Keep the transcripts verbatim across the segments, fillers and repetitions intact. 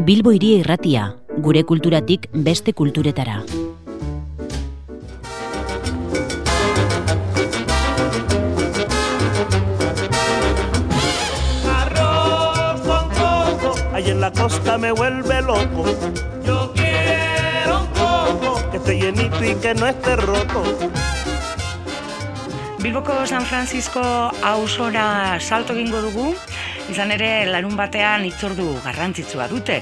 Bilbo Hiria Irratia, gure kulturatik beste kulturetara. Arroz con coco, ahí en la costa me vuelve loco. Yo quiero un coco que esté llenito y que no esté roto. Bilboko San Francisco auzora salto egingo dugu, izan ere larun batean hitzordu garrantzitsua dute.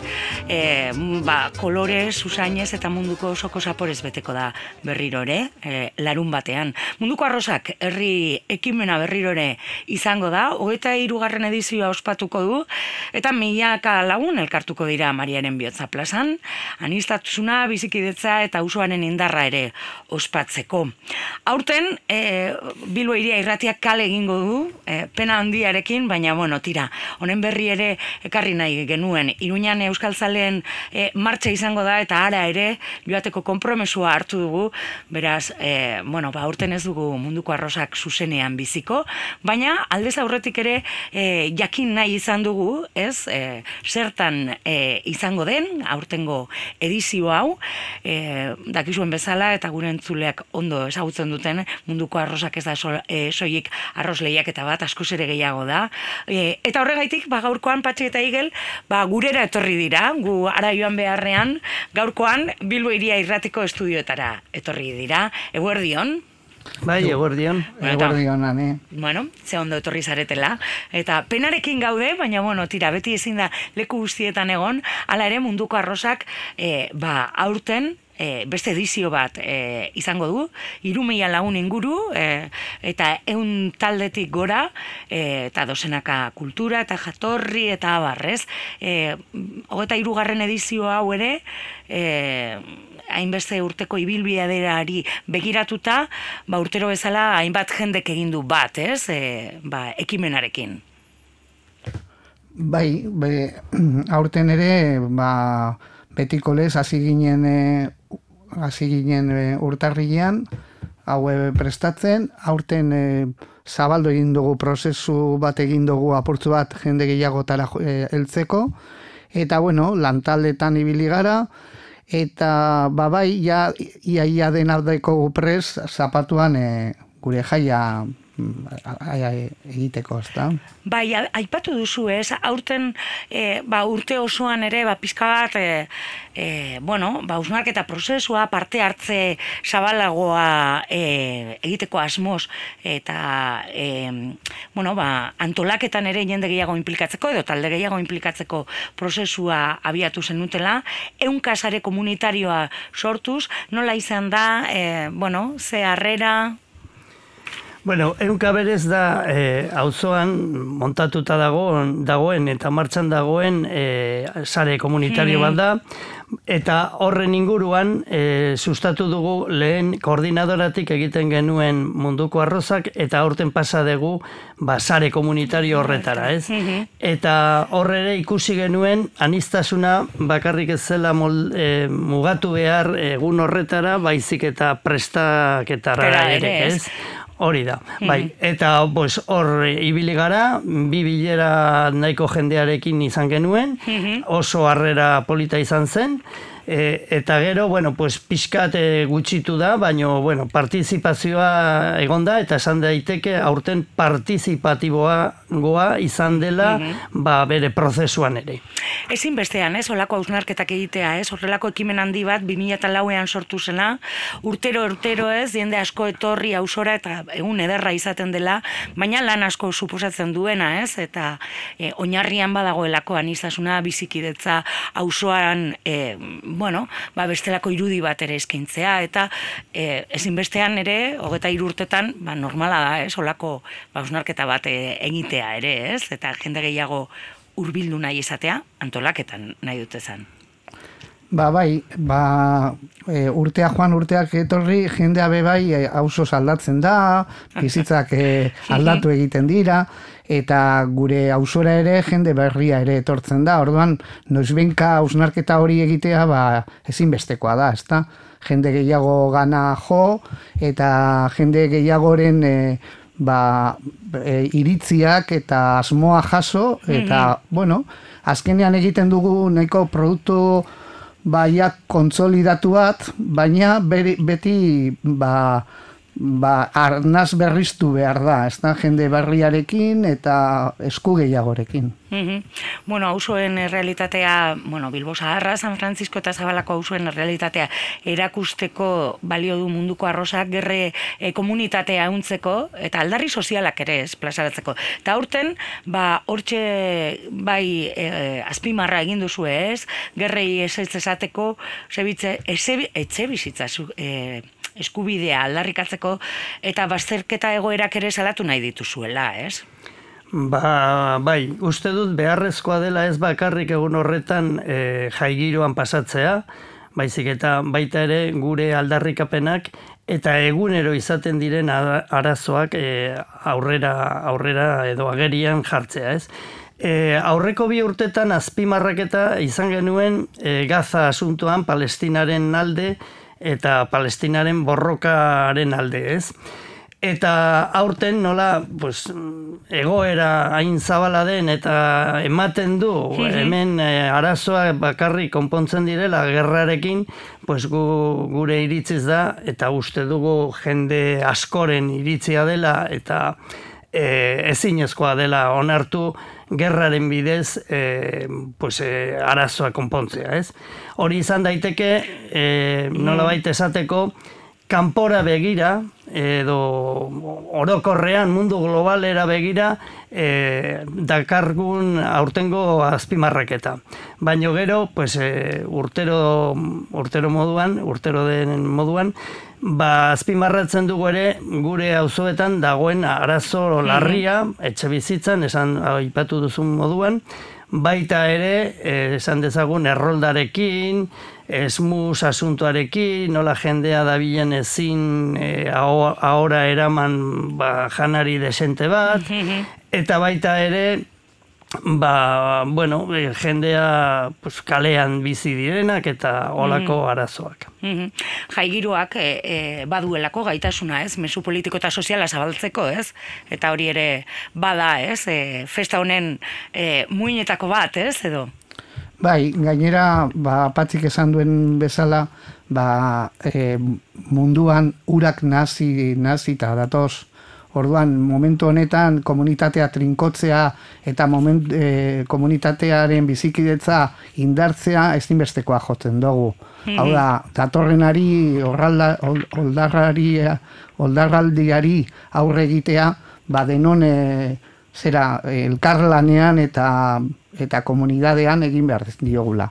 E, ba, kolorez, usainez eta munduko osoko zaporez beteko da berrirore, e, larun batean. Munduko arrozak herri ekimena berrirore izango da, hogeita hirugarren edizioa ospatuko du, eta milaka lagun elkartuko dira Mariaren Bihotza plazan, aniztasuna, bizikidetza eta auzoaren indarra ere ospatzeko. Aurten, e, Bilbo Hiria Irratiak kale egingo du, e, pena handiarekin, baina bueno, tira, honen berri ere ekarri nahi genuen. Iruñan euskaltzaleen e, martxa izango da eta ara ere joateko konpromesua hartu dugu, beraz, e, bueno, ba, aurten ez dugu munduko arrozak zuzenean biziko, baina aldez aurretik ere e, jakin nahi izan dugu, ez, e, zertan e, izango den, aurtengo edizio hau, e, dakizuen bezala eta gure entzuleak ondo ezagutzen duten, munduko arrozak ez da so, e, soilik arroz lehiaketa bat, askoz ere gehiago da. E, eta horregaitik, ba, gaurkoan Patxi eta Igel, ba, gurera etorri dira, gu ara joan beharrean, gaurkoan Bilbo Hiria Irratiko estudioetara etorri dira. Eguerdion? Bai, eguerdion. Eguerdion, ane. Bueno, ze ondo etorri zaretela. Eta penarekin gaude, baina, bueno, tira, beti ezin da leku guztietan egon, hala ere munduko arrozak, e, ba, aurten, E, beste edizio bat e, izango du, hiru mila lagun inguru, e, eta ehun taldetik gora, e, eta dozenaka kultura, eta jatorri, eta abarrez. E, hogeita hirugarren edizio hau ere, e, hainbeste urteko ibilbideari begiratuta, ba, urtero bezala hainbat jendek egin du bat, ez? E, ba, ekimenarekin. Bai, be, aurten ere, ba, betiko lez, hasi ginen, e, hasi ginen e, urtarrilean, hau e, prestatzen, aurten e, zabaldu egin dugu, prozesu bat egin dugu, apurtzu bat jende gehiagotara e, heltzeko, eta bueno, lantaldetan ibili gara, eta babai, ja, ia, ia denardeko prez, zapatuan e, gure jaia egiteko, ezta? Bai, aipatu duzu, ez? Aurten, e, ba, urte osoan ere, ba, pizka bat, e, e, bueno, ba, hausnarketa prozesua, parte hartze zabalagoa e, egiteko asmoz, eta, e, bueno, ba, antolaketan ere jende gehiago inplikatzeko, edo talde gehiago inplikatzeko prozesua abiatu zenutela, ehunka sare komunitarioa sortuz, nola izan da, e, bueno, ze harrera... Bueno, ehunka berez da eh, auzoan montatuta dagoen, dagoen eta martxan dagoen eh, sare komunitario bat da, eta horren inguruan eh, sustatu dugu lehen koordinadoratik egiten genuen munduko arrozak, eta aurten pasa dugu ba, sare komunitario horretara, ez? Eta horre ikusi genuen aniztasuna bakarrik ez zela mol, eh, mugatu behar egun horretara, baizik eta prestaketara ere, ez? Hori da, bai, eta pues, hor ibili gara, bi bilera nahiko jendearekin izan genuen, oso harrera polita izan zen, e, eta gero, bueno, pues, pixkat e, gutxitu da, baina, bueno, partizipazioa egon da, eta esan daiteke aurten partizipatiboa goa izan dela, ba, bere prozesuan ere. Ezin bestean, ez, olako hausnarketak egitea, ez, horrelako ekimen handi bat, bi mila lauean sortu zena, urtero, urtero ez, jende asko etorri auzora eta egun ederra izaten dela, baina lan asko suposatzen duena, ez, eta e, oinarrian badagoelako aniztasuna, bizikidetza, auzoan, e, bueno, ba, bestelako irudi bat ere eskaintzea, eta e, ezin bestean ere, hogeita hiru urtetan, ba, normala da, ez, olako ba, hausnarketa bat e, egitea ere, ez, eta jende gehiago hurbildu nahi izatea, antolaketan nahi dute zen. Ba, bai, ba, e, urtea joan urteak etorri, jendea be bai e, auzoz aldatzen da, bizitzak e, aldatu egiten dira, eta gure auzora ere jende berria ere etortzen da. Orduan, noizbenka hausnarketa hori egitea, ba, ezinbestekoa da, ezta? Jende gehiago gana jo, eta jende gehiagoren e, ba, e, iritziak eta asmoa jaso, eta, mm-hmm. bueno, azkenean egiten dugu nahiko produktu baiak kontsolidatu bat, baina beri, beti ba, ba, arnaz berriztu behar da, ez da, jende berriarekin eta esku gehiagorekin. Mm-hmm. Bueno, auzoen realitatea, bueno, Bilbo Zaharra, San Francisco eta Zabalako auzoen realitatea erakusteko balio du munduko arrosak gerre e, komunitatea ehuntzeko eta aldarri sozialak ere ez plazaratzeko. Eta aurten, ba, hortxe bai e, azpimarra egin duzu ez, gerrei ez ez esateko, sebitze, etxe bizitza e, eskubidea aldarrikatzeko eta bazterketa egoerak ere salatu nahi dituzuela, ez? Ba, bai, uste dut beharrezkoa dela ez bakarrik egun horretan e, jaigiroan pasatzea, baizik eta baita ere gure aldarrikapenak eta egunero izaten diren arazoak e, aurrera, aurrera edo agerian jartzea, ez? E, aurreko bi urtetan azpimarraketa izan genuen e, Gaza asuntoan Palestinaren alde eta Palestinaren borrokaren alde, ez? Eta aurten nola pues, egoera hain zabala den eta ematen du hemen e, arazoa bakarrik konpontzen direla gerrarekin, pues, gu, gure iritziz da eta uste dugu jende askoren iritzia dela eta e, ezinezkoa dela onartu gerraren bidez e, pues, e, arazoa konpontzea, ez? Hori izan daiteke, e, nolabait esateko, kanpora begira, edo orokorrean mundu globalera begira e, dakargun aurtengo azpimarraketa. Baina gero, pues, e, urtero, urtero moduan, urtero den moduan, ba, azpimarratzen dugu ere gure auzoetan dagoen arazo larria, etxe bizitzan, esan aipatu duzun moduan, baita ere, esan dezagun erroldarekin, esmus asuntoarekin, nola jendea dabilen ezin e, ahora eraman ba, janari desente bat, eta baita ere, ba, bueno, jendea pues, kalean bizi direnak eta olako arazoak. Mm-hmm. Jaigiroak e, e, baduelako gaitasuna, ez, mezu politiko eta soziala zabaltzeko, ez, eta hori ere bada, ez, e, festa honen e, muinetako bat, ez, edo? Bai, gainera, ba, Patzik esan duen bezala, ba, e, munduan urak nazi, nazi eta datoz. Orduan, momentu honetan komunitatea trinkotzea eta moment, e, komunitatearen bizikidetza indartzea ezinbestekoa jotzen dugu. Mm-hmm. Hau da, datorrenari, oldarrari, oldarraldiari aurre egitea, ba denon e, zera elkarlanean eta eta komunidadean egin behar diogula.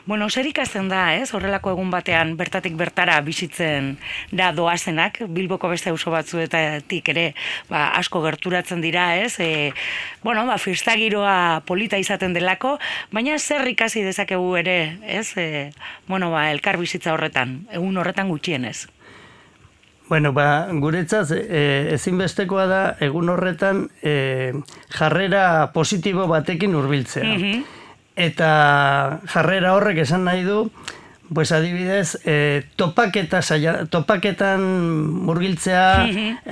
Bueno, zer ikasten da, ez? Horrelako egun batean bertatik bertara bizitzen da doazenak, Bilboko beste auzo batzuetatik ere ba, asko gerturatzen dira, ez? E, bueno, ba, festagiroa polita izaten delako, baina zer ikasi dezakegu ere, ez? E, bueno, ba, elkar bizitza horretan, egun horretan gutxienez. Bueno, ba, guretzat e, ezinbestekoa da egun horretan e, jarrera positibo batekin hurbiltzea. Mm-hmm. Eta jarrera horrek esan nahi du, pues adibidez, e, topaketa saia, topaketan murgiltzea,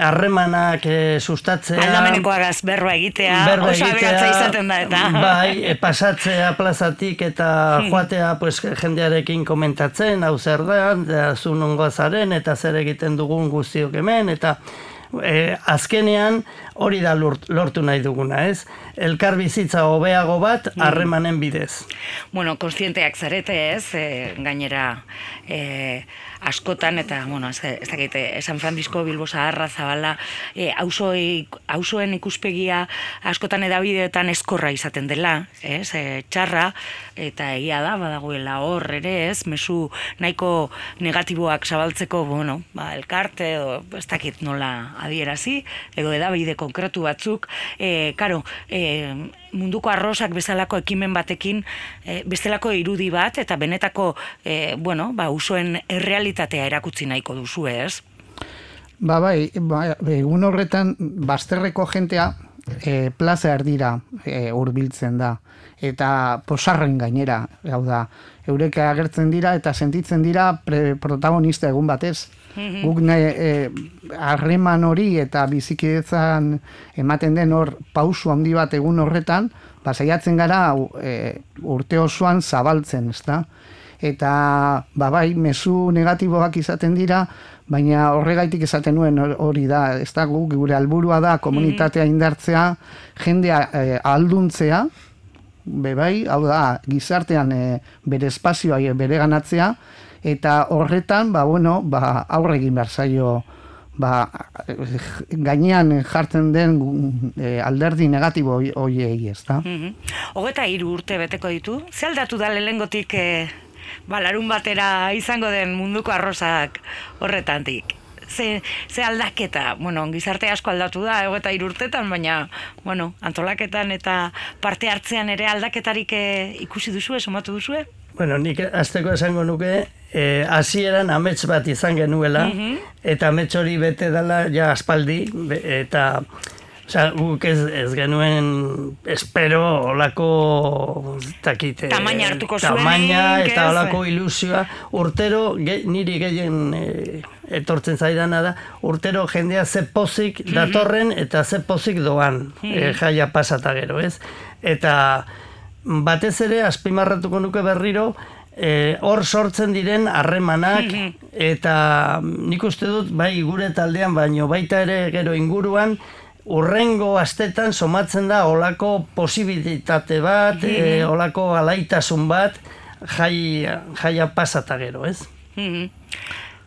harremanak mm-hmm. e, sustatzea, aldamenekoagaz berba egitea, berba oso aberatza izaten da eta. Bai, e, pasatzea plazatik eta joatea pues, jendearekin komentatzen, hau zer da, da zu nongoa zaren, eta zer egiten dugun guztiok hemen, eta E, azkenean hori da lortu nahi duguna, ez? Elkar bizitza hobeago bat harremanen bidez. Bueno, kontzienteak zarete, ez? E, gainera e, askotan eta, bueno, ez, ez dakit, San Francisco, Bilbo Zaharra, Zabala, e, auzoen ikuspegia askotan edabideetan eskorra izaten dela, ez? E, txarra, eta egia da, badagoela hor ere, ez? Mezu nahiko negatiboak zabaltzeko, bueno, ba, elkarte, edo, ez dakit nola adierazi, edo edabide konkretu batzuk, e, karo, e, munduko arrosak bezalako ekimen batekin, e, bestelako irudi bat, eta benetako, e, bueno, ba, usoen errealitatea erakutsi nahiko duzu, ez? Ba, bai, ba, egun horretan, bazterreko jentea, e, plaza erdira e, hurbiltzen da. Eta posarren gainera, hau da, eurek agertzen dira eta sentitzen dira pre, protagonista egun batez. Mm-hmm. Guk harreman hori eta bizikidetzan ematen den hor pausu handi bat egun horretan, pasaiatzen gara e, urte osoan zabaltzen, ezta? Eta, ba bai, mezu negatiboak izaten dira, baina horregaitik esaten nuen hori da, ez da, gure helburua da komunitatea indartzea, jendea e, ahalduntzea, be bai, hau da, gizartean e, bere espazioa bere ganatzea, eta horretan, ba, bueno, ba, aurre egin behar zaio, ba, gainean jartzen den e, alderdi negatibo horiei, ez da? Hogeta hiru urte beteko ditu, ze aldatu da lehengotik e, ba, larun batera izango den munduko arrosak horretantik? Ze, ze aldaketa, bueno, gizarte asko aldatu da, hogeta hiru urtetan, baina, bueno, antolaketan eta parte hartzean ere aldaketarik e, ikusi duzue, somatu duzue? Bueno, nik azteko esango nuke, hasieran eh, amets bat izan genuela, mm-hmm. eta amets hori bete dela ja aspaldi, be, eta oza, guk ez, ez genuen espero olako takite, tamaina hartuko zuen, tamaina eta olako ilusioa. Urtero, ge, niri gehien eh, etortzen zaidana da, urtero jendea ze pozik datorren eta ze pozik doan, mm-hmm. eh, jaia pasata gero, ez? Eta batez ere, azpimarratuko nuke berriro, hor e, sortzen diren harremanak, eta nik uste dut, bai gure taldean, baino baita ere gero inguruan, urrengo astetan somatzen da olako posibilitate bat, e, olako alaitasun bat, jai, jaia pasata gero, ez?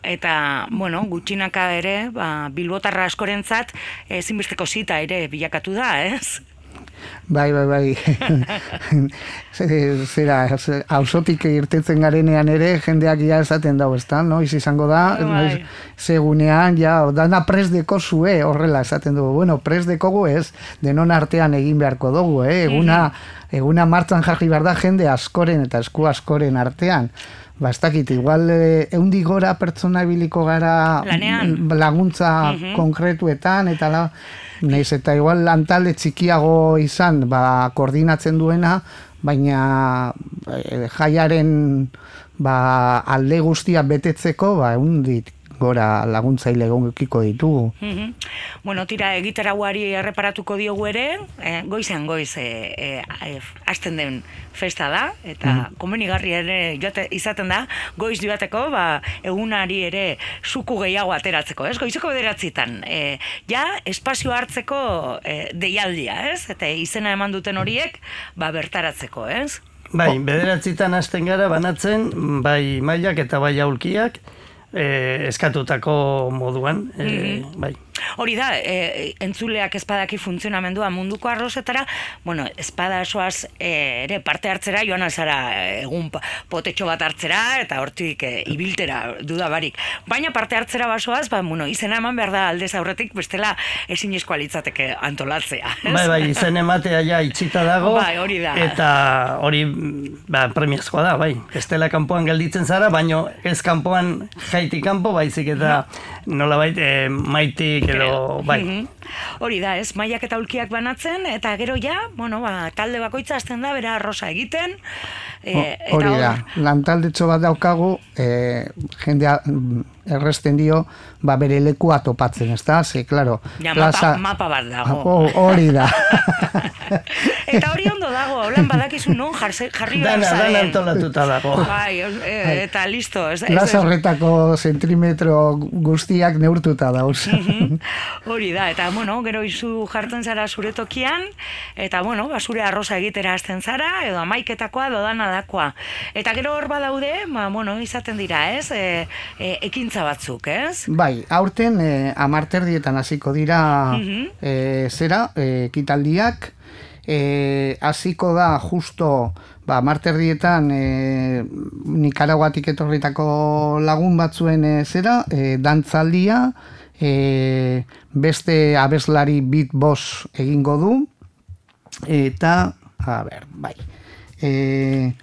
Eta, bueno, gutxinaka ere, ba, bilbotarra askorentzat, ezinbesteko zita ere bilakatu da, ez? Bai, bai, bai. Zera, auzotik irtetzen garenean ere, jendeak ja esaten dago, ez da, noiz izango da, noiz, segunean, ja, dana presdeko zue, horrela esaten dugu. Bueno, presdekogu ez, denon artean egin beharko dugu, eh? Eguna, eguna martzan jarri behar da jende askoren eta esku askoren artean. Ba, ez dakit, igual eundik gora pertsona biliko gara lanean. Laguntza uh-huh. konkretuetan, eta la, nahiz eta igual lantalde txikiago izan, ba, koordinatzen duena, baina e, jaiaren ba, alde guztia betetzeko, ba, eundik gora laguntzaile egokiko ditugu. Mm-hmm. Bueno, tira, egitarauari erreparatuko diogu ere, eh, goizean goiz eh, eh, hasten den festa da, eta mm-hmm. komenigarri ere joate, izaten da, goiz joateko, ba, egunari ere suku gehiago ateratzeko, ez? Goizeko bederatzitan, eh, ja, espazio hartzeko eh, deialdia, ez? Eta izena eman duten horiek, ba, bertaratzeko, ez? Bai, bederatzitan hasten gara banatzen, bai mailak eta bai aulkiak, Eh, eskatutako moduan, eh, mm-hmm. bai. Hori da, e, entzuleak espadaki funtzionamendua munduko arrozetara, bueno, espada soaz e, ere parte hartzera, joan alzara egun potetxo bat hartzera, eta hortik e, ibiltera dudabarik. Baina parte hartzera basoaz, ba, bueno, izena eman behar da aldez aurretik, bestela ezin eskoa litzateke antolatzea. Bai, bai, izen ematea ja itxita dago, bai, hori da. Eta hori ba, premiazkoa da, bai. Estela kanpoan gelditzen zara, baino ez kanpoan jaitik kanpo, baizik eta nolabait e, maitik edo, bai. Hori da, ez, mailak eta ulkiak banatzen, eta gero ja, bueno, ba, talde bakoitza hasten da, bera arrosa egiten. E, hori da, lantaldetxo bat daukagu, e, jendea erresten dio, ba, bere lekua topatzen, ez da? Ze, klaro, ja, plaza... mapa, mapa bat dago. Hori da. Eta hori ondo dago, holan badakizu non jarri behar zaren. Dana antolatuta dago. Bai, e, eta listo. Ez, plaza horretako zentrimetro guztiak neurtuta dauz. Hori da, eta bueno, gero izu jartzen zara zure tokian, eta bueno, ba, zure arroza egitera hasten zara, edo amaiketakoa, edo danadakoa. Eta gero hor badaude, ba, bueno, izaten dira, ez, e, e, ekintza batzuk, ez? Bai, aurten e, amarterdietan hasiko dira uh-huh. e, zera, e, ekitaldiak, e, hasiko da justo ba, amarterdietan e, Nikaraguatik etorritako lagun batzuen e, zera, e, dantzaldia, E, beste abeslari beatbox egingo du, eta a ber, bai e,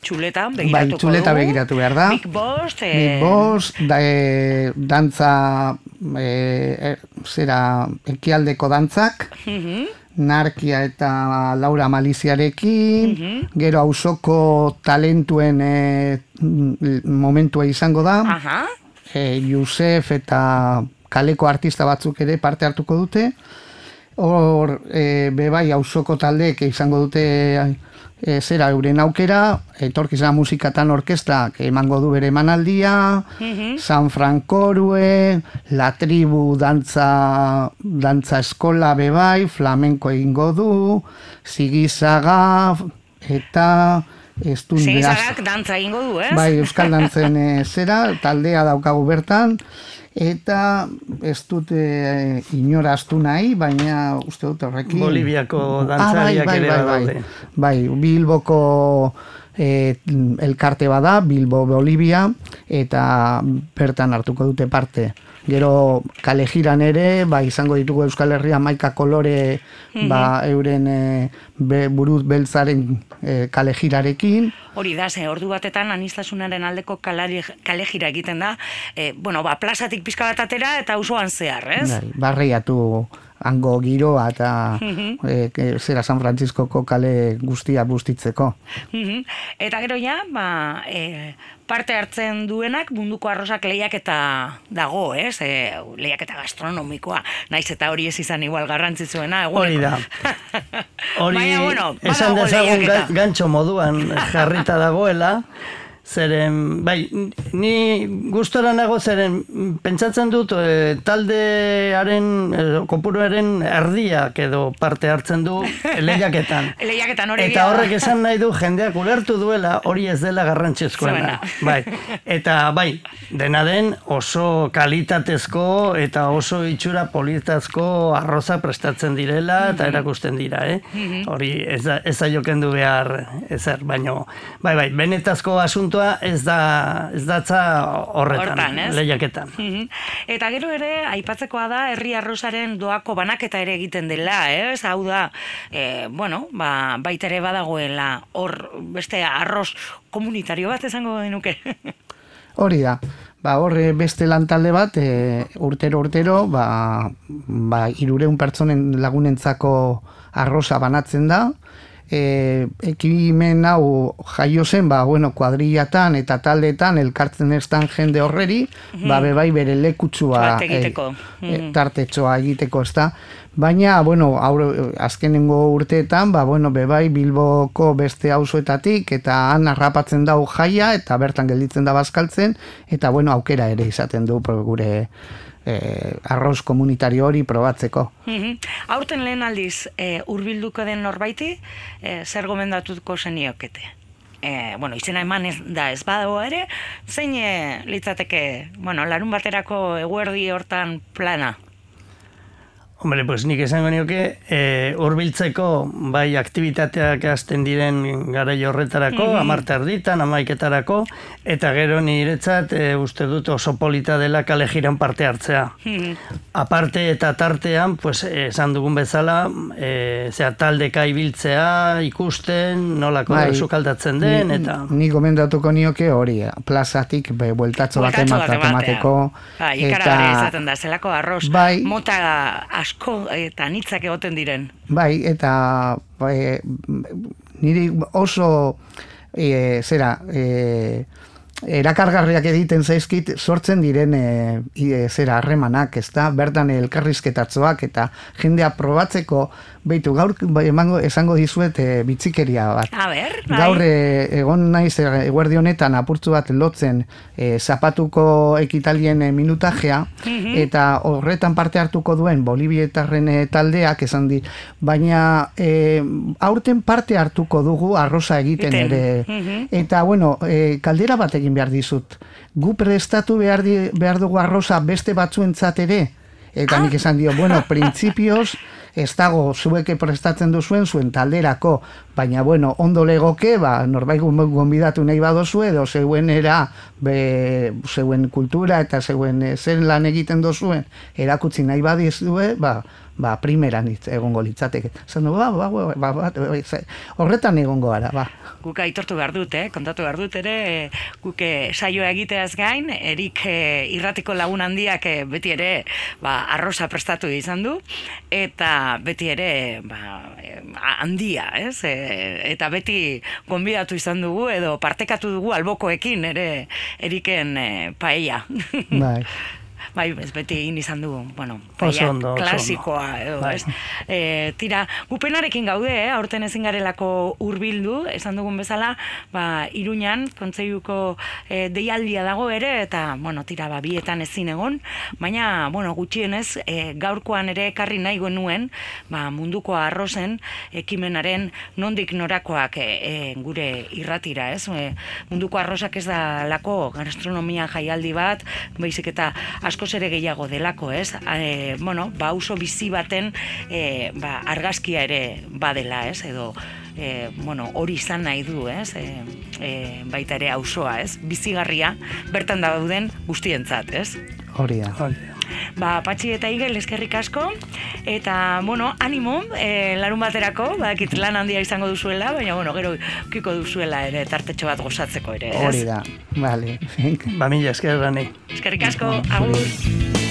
txuleta begiratuko bai, dugu. txuleta begiratu behar da. Big Boss. Eh... Big Boss, da, e, dantza, e, zera, ekialdeko dantzak, Uh-huh. Narkia eta Laura Maliziarekin, Uh-huh. gero auzoko talentuen e, momentua izango da, Aha. e, Josef eta kaleko artista batzuk ere parte hartuko dute. Hor, e, bebai, auzoko taldeek izango dute e, zera euren aukera, etorkizena musikatan orkestak emango du bere emanaldia, Uh-huh. San Frankorue, La Tribu dantza, dantza eskola bebai, flamenko egingo du, Zigizaga eta ez du Zigizagak dantza egingo du, ez? bai, euskal dantzen e, zera, taldea daukagu bertan, eta ez dut e, inoraztu nahi, baina uste dut horrekin... Boliviako Ah, bai, dantzariak bai, ere bai, badaude. bai, bai, Bilboko e, elkarte bada, Bilbo Bolivia, eta bertan hartuko dute parte. Gero kale jiran ere, ba, izango ditugu Euskal Herria maika kolore ba, euren e, be, buruz beltzaren e, kale jirarekin. Hori da, ze ordu batetan anistasunaren aldeko kalari, kale jira egiten da, e, bueno, ba, plazatik pizka bat atera eta auzoan zehar, ez? Bai, barreiatu hango giroa eta e, e, zera San Frantziskoko kale guztia bustitzeko. Mhm. Eta gero ja, ba, e, parte hartzen duenak munduko arrosak lehiaketa dago, ez? E, lehiaketa gastronomikoa, naiz eta hori ez izan igual garrantzitsuena. Hori da. Hori, Baina, bueno, esan badago dezagun lehiaketa. ga- gantxo moduan jarrita dagoela, zeren, bai, ni gustora nago zeren pentsatzen dut e, taldearen, e, kopuruaren erdiak edo parte hartzen du lehiaketan. Lehiaketan hori Eta horrek esan nahi du jendeak ulertu duela hori ez dela garrantzizkoena. Bai. Eta bai, dena den oso kalitatezko eta oso itxura politazko arroza prestatzen direla eta erakusten dira, eh? Hori ez da, ez da jokendu behar ezer, baino, bai, bai, benetazko asuntoa ez da, ez datza horretan, Hortan, ez? lehiaketan. Mhm. Eta gero ere, aipatzekoa da, herri arrozaren doako banaketa ere egiten dela, ez? Hau da, e, bueno, ba, baita ere badagoela hor beste arroz komunitario bat esango denuke. Hori da. Ba, horre beste lantalde bat, e, urtero urtero, ba, ba, irureun pertsonen lagunentzako arroza banatzen da. E, ekimen hau jaio zen, ba, bueno, kuadrillatan eta taldetan elkartzen estan jende horreri, ba, bebai bere lekutsua Bat egiteko. e, e, tartetxoa egiteko, ez da. Baina, bueno, aur, azkenengo urteetan, ba, bueno, bebai Bilboko beste auzoetatik eta han harrapatzen dau jaia eta bertan gelditzen da bazkaltzen, eta, bueno, aukera ere izaten du pro- gure eh, arroz komunitario hori probatzeko. Mhm. Aurten lehen aldiz, e, hurbilduko den norbaiti, e, zer gomendatuko zeniokete? E, bueno, izena eman ez, da ez badago ere, zein e, litzateke, bueno, larun baterako eguerdi hortan plana? Hombre, pues nik esango nioke, e, hurbiltzeko bai aktibitateak hasten diren garai horretarako, mm -hmm. amarte erditan, amaiketarako, eta gero niretzat e, uste dut oso polita dela kale jiran parte hartzea. Mm -hmm. Aparte eta tartean, pues, esan dugun bezala, e, zera, taldeka ibiltzea, ikusten, nolako Bai, sukaldatzen den, ni, eta... Ni gomendatuko nioke hori, plazatik be, bueltatxo bat Bueltatxo bat emateko. Ba, ikaragarria izaten da, zelako arroz, bai, mota asko eta nitzak egoten diren. Bai, eta bai, niri oso e, zera, e, erakargarriak egiten zaizkit sortzen diren e, e, zera harremanak, ez da, bertan elkarrizketatzoak eta jendea probatzeko, beitu, gaur emango, esango dizuet e, bitzikeria bat. A ber, bai. Gaur e, egon naiz e, eguerdi honetan apurtzu bat lotzen e, zapatuko ekitalien e, minutajea, Mhm. eta horretan parte hartuko duen Bolivietarren e, taldeak esan di, baina e, aurten parte hartuko dugu arroza egiten Iten. ere. Mhm. Eta bueno, e, kaldera bat egin behar dizut. Gu prestatu behar, di, behar dugu arroza beste batzuentzat ere. Eta nik esan dio, bueno, printzipioz, ez dago zueke prestatzen duzuen zuen talderako, baina bueno, ondo legoke, ba, norbait gonbidatu nahi badozu edo zeuenera, be, zeuen kultura eta zeuen e, zer lan egiten dozuen erakutsi nahi badizue, ba, ba, primeran egongo litzateke. Zan du, ba, ba, ba, ba, ba, horretan egongo gara, ba. Guk aitortu behar dut, eh? Kontatu behar dut ere, guk saioa egiteaz gain, Erik eh, irratiko lagun handiak eh, beti ere ba, arroza prestatu izan du, eta beti ere ba, handia, ez? E, eta beti gonbidatu izan dugu, edo partekatu dugu albokoekin ere Eriken eh, paella. Bai. Bai, ez beti egin izan du, bueno, paella klasikoa, edo, ez? E, tira, gupenarekin gaude, eh? Aurten ezin garelako hurbildu, esan dugun bezala, ba, Iruñan, kontseiluko e, deialdia dago ere, eta, bueno, tira, ba, bietan ezin egon, baina, bueno, gutxienez, e, gaurkoan ere ekarri nahi nuen, ba, munduko arrozen ekimenaren nondik norakoak e, e, gure irratira, ez? E, munduko arrozak ez da lako gastronomia jaialdi bat, baizik eta askoz ere gehiago delako, ez? E, bueno, ba, oso bizi baten e, ba, argazkia ere badela, ez? Edo, e, bueno, hori izan nahi du, ez? E, e, baita ere auzoa, ez? Bizigarria, bertan dauden guztientzat, ez? Hori da. Ba, Patxi eta Igel eskerrik asko, eta, bueno, animo, e, larun baterako, badakit lan handia izango duzuela, baina, bueno, gero kiko duzuela ere, tartetxo bat gozatzeko ere, ez? Hori da, bale. Ba, mila esker gani. Eskerrik asko, agur.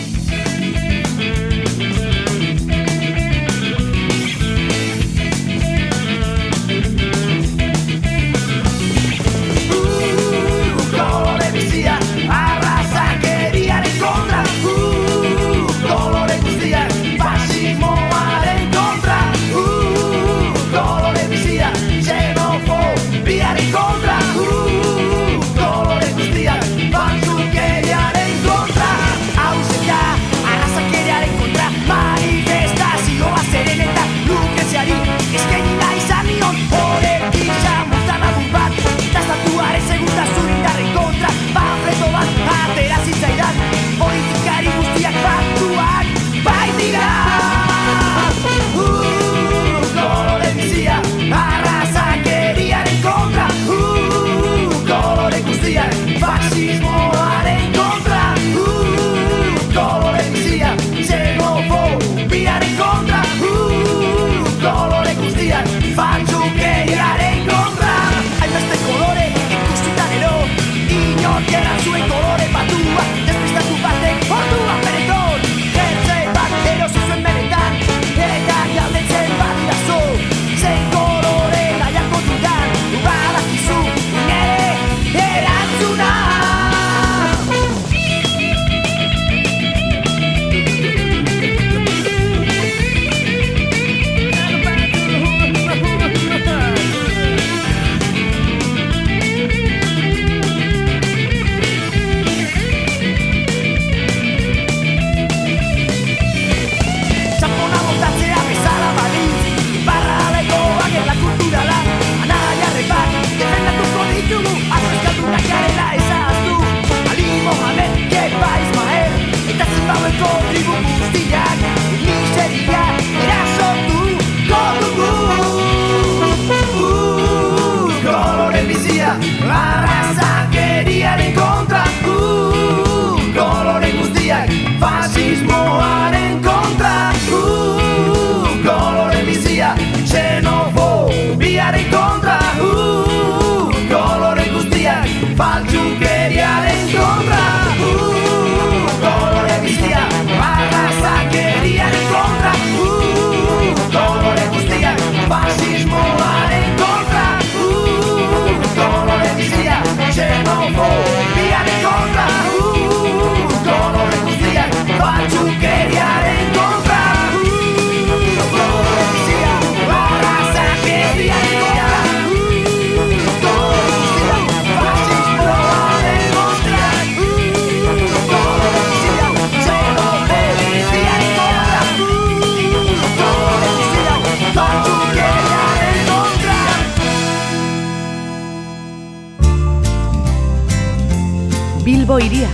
Bilbo hiria,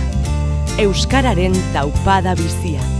euskararen taupada bizia.